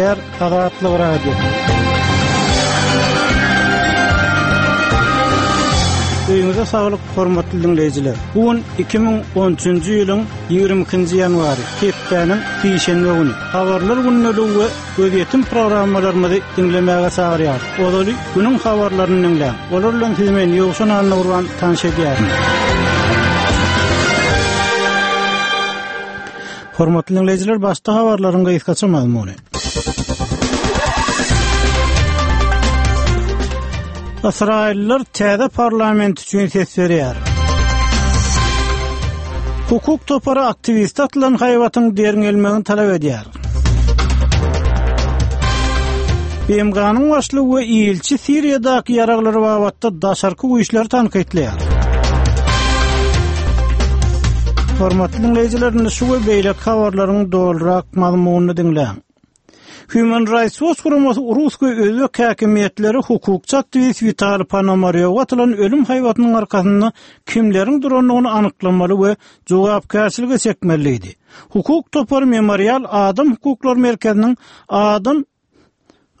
Gepleýär Azatlyk Radiosy. Öýüňize saglyk, hormatly diňleýjiler. Bu gün 2013-nji ýylyň 22-nji ýanwary, hepdäniň sişenbe güni. Habarlar gündeligi we gözýetim programmalarymyzy diňlemäge çagyrýarys. Ozaly günüň habarlaryny diňläň. Olar bilen sizi men Ýowşan Annagurban tanyş edýärin. Hormatly diňleýjiler, başda habarlaryň gysgaça mazmuny. Ysraýyllylar täze parlament üçin ses berýär. Hukuk topary aktiwiste atylan haýbatyň derňelmegini talap edýär. BMG-niň başlygy we ilçi Siriýadaky ýaraglar babatda daşarky güýçleri tankytlaýar. Hormatly diňleýjiler, indi şu we beýleki habarlaryň dolurak mazmunyny diňläň. Human Rights Watch guramasy rus we özbek häkimiýetleri hukukçy aktiwist Witaliý Ponomarýowa atylan ölüm haýbatynyň arkasynda kimleriň durandygyny anyklamaly we jogapkärçilige çekmeli diýdi. Hukuk topary Memorial adam hukuklary merkeziniň adam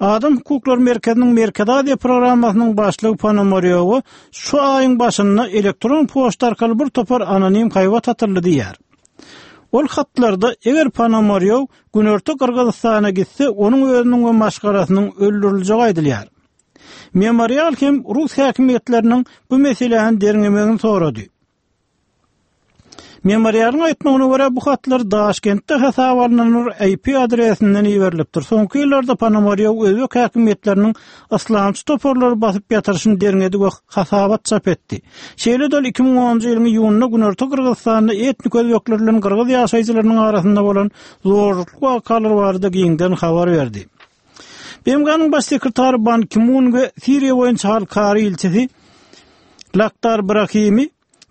Adam hukuklary merkeziniň Merkezi Aziýa programmasynyň başlygy Ponomarýowa şu aýyň başynda elektron poçta arkaly bir topar anonim haýbat atyldy diýýär. Ol hatlarda eger Ponomarýow Günorta Gyrgyzystana gitse, onuň özüniň we maşgalasynyň öldüriljegi aýdylýar. Memorial hem rus häkimiýetleriniň bu meseläni derňemegini sorady. Memorialyň aýtmagyna görä, bu hatlar Daşkentde hasaba alnan bir IP adresinden iberilipdir. Soňky ýyllarda Ponomarýow özbek häkimiýetleriniň yslamçy toparlary basyp ýatyryşyny derňedi we hasabat çap etdi. Şeýle-de ol 2010-njy ýylyň iýunynda Günorta Gyrgyzystanda etnik özbekler bilen gyrgyz ýaşaýjylarynyň arasynda bolan zorlukly wakalar barada giňden habar berdi. BMG-niň Baş sekretary Ban Ki-mun we Siriýa boýunça halkara ilçisi Lakhdar Brahimi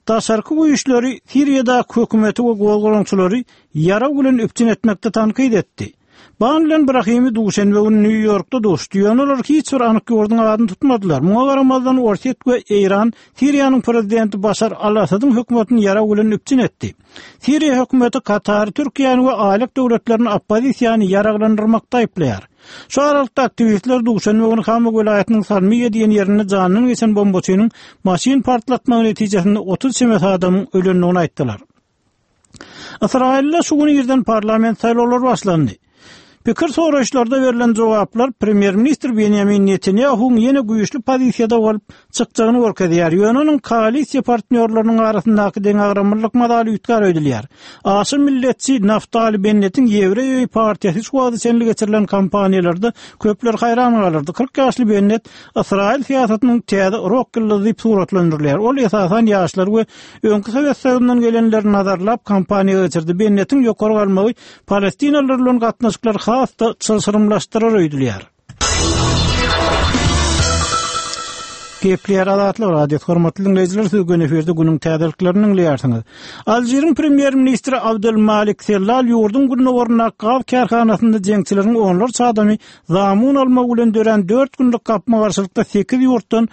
daşarky güýçleri Siriýadaky hökümeti we gozgalaňçylary ýarag bilen üpjün etmekde tankyt etdi. Ban bilen Brahimi duşenbe güni Nýu-Ýorkda duşdy, ýöne olar hiç bir anyk ýurduň adyny tutmadylar. Muňa garamazdan, Orsýet we Eýran Siriýanyň prezidenti Başar al-Assadyň hökümetini ýarag bilen üpjün etdi. Siriýa hökümeti Katary, Türkiýäni we Aýlyk döwletlerini oppozisiýany ýaraglandyrmakda aýyplaýar. Şu aralykda aktiwistler duşenbe güni Hama welaýatynyň Salmiýa diýen ýerinde janyndan geçen bombaçynyň maşyn partlatmagy netijesinde 30 çemesi adamyň ölendigini aýtdylar. Ysraýylda şu gün irden parlament saýlawlary başlandy. Pikir soraýyşlarda berlen jogaplar premýer-ministr Benýamin Netanýahuwyň ýene güýçli pozisiýada bolup çykjagyny görkezýär, ýöne onuň koalisiýa partnýorlarynyň arasyndaky deňagramlylyk mazaly üýtgär öýdülýär. Aşa milletçi Naftali Bennetiň Ýewreý öýi partiýasy şu wagta çenli geçirilen kampaniýalarda köpleri haýran galdyrdy. 40 ýaşly Bennet Ysraýyl syýasatynyň täze rok ýyldyzy diýip suratlandyrylýar. Ol esasan ýaşlary we öňki Sowet Soýuzyndan gelenleri nazarlap kampaniýa geçirdi. Bennetiň ýokary galmagy Palestinalylar bilen gatnaşyklary has-da çylşyrymlaşdyrar öýdülýär. Gepleýär Azatlyk Radiosy, hormatly diňleýjiler, siz göni efirde günüň täzeliklerini diňleýärsiňiz. Alžiriň premýer-ministri Abdelmalik Sellal ýurduň gündogaryndaky gaz kärhanasynda jeňçileriň onlarça adamy zamun almagy bilen dörän dört günlük gapma-garşylykda sekiz ýurtdan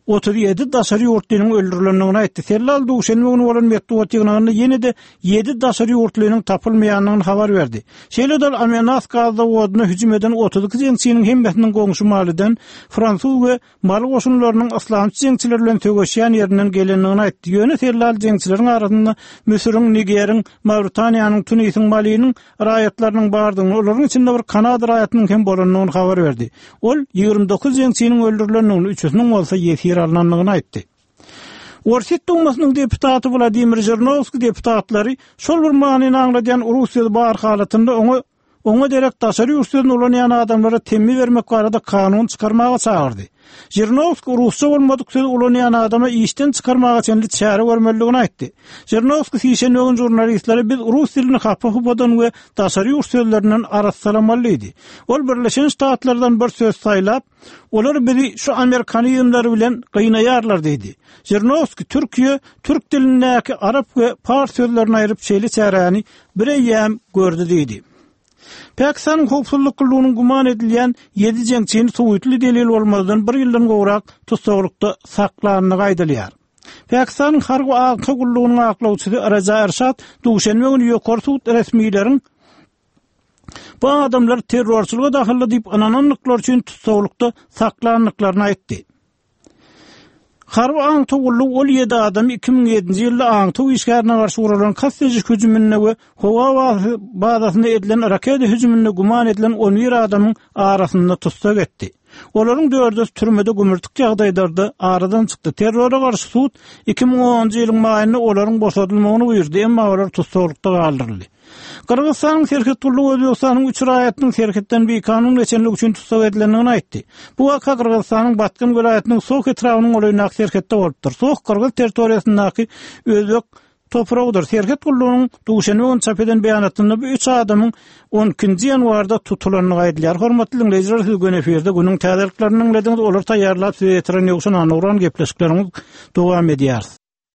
37 daşary ýurtlynyň öldürilendigini aýtdy. Sellal duşenbe güni bolan metbugat ýygnagynda ýene-de ýedi daşary ýurtlynyň tapylmaýandygyny habar berdi. Şeýle-de ol Amenas gaz zawodyna hüjüm eden 32 jeňçiniň hemmesiniň goňşy Maliden, fransuz we maly goşunlarynyň yslamçy jeňçiler bilen söweşýän ýerinden gelendigini aýtdy. Ýöne Sellal jeňçileriň arasynda Müsüriň, Nigeriň, Mawritaniýanyň, Tunisiň, Maliniň raýatlarynyň bardygyny, olaryň içinde bir kanada raýatynyň hem bolandygyny habar berdi. Ol 29 jeňçiniň öldürilendigini, üçüsiniň bolsa ýesir alnandygyny aýtdy. Orsýet Dumasynyň deputaty Wladimir Žirinowskiý deputatlary şol bir manyny aňladýan rus sözi bar halatynda oňa oňa derek daşary ýurt sözüni ulanýan adamlara temmi bermek barada kanun çykarmaga çagyrdy. Žirinowskiý rusça bolmadyk sözi ulanýan adama işden çykarmaga çenli çäre görmelidigini aýtdy. Žirinowskiý sişenbe güni žurnalistlere biz rus dilini hapa-hupadan we daşary ýurt sözlerinden arassalamaly diýdi. Ol Birleşen Ştatlardan bir söz saýlap, Olar bizi şu amerikanizmler bilen gynaýarlar diýdi. Žirnowskiý Türkiýe türk dilindäki arap we pars sözlerini aýryp şeýle çäräni bireýýäm gördi diýdi. Pakistanyň howpsuzlyk gullugynyň güman edilýän ýedi jeňçini suwytly delil bolmazdan bir ýyldan gowrak tussaglykda saklandygy aýdylýar. Pakistanyň harby aňtaw gullugynyň aklawçysy Raja Erşad duşenbe güni ýokary sud resmileriň. Bu adamlar terrorçylyga dahylly diýip ynanandyklary üçin tussaglykda saklandyklaryny aýtdy. Harby aňtaw gullugy ol ýedi adamy 2007-nji ýylda aňtaw işgärine garşy guralan kast ediş hüjüminde we howa bazasynda edilen raketa hüjüminde güman edilen on bir adamyň arasynda tussag etdi. Olaryň dördüsi türmede gümürtik ýagdaýlarda aradan çykdy. Terrora garşy sud 2010-njy ýylyň maýynda olaryň boşadylmagyny buýurdy, emma olar tussaglykda galdyryldy. Gyrgyzystanyň serhet gullugy Özbegistanyň üç raýatynyň serhetden bikanun geçenligi üçin tussag edilendigini aýtdy. Bu waka Gyrgyzystanyň Batken welaýatynyň Soh etrabynyň golaýyndaky serhetde bolupdyr. Soh gyrgyz territoriýasyndaky özbek topragydyr. Serhet gullugynyň duşenbe güni çap eden beýanatynda bu üç adamyň on ikinji ýanwarda tutulandygy aýdylýar. Hormatly diňleýjiler, siz göni efirde günüň täzeliklerini diňlediňiz. Olary taýýarlap size ýetiren Ýowşan Annagurban gepleşiklerimiz dowam edýär.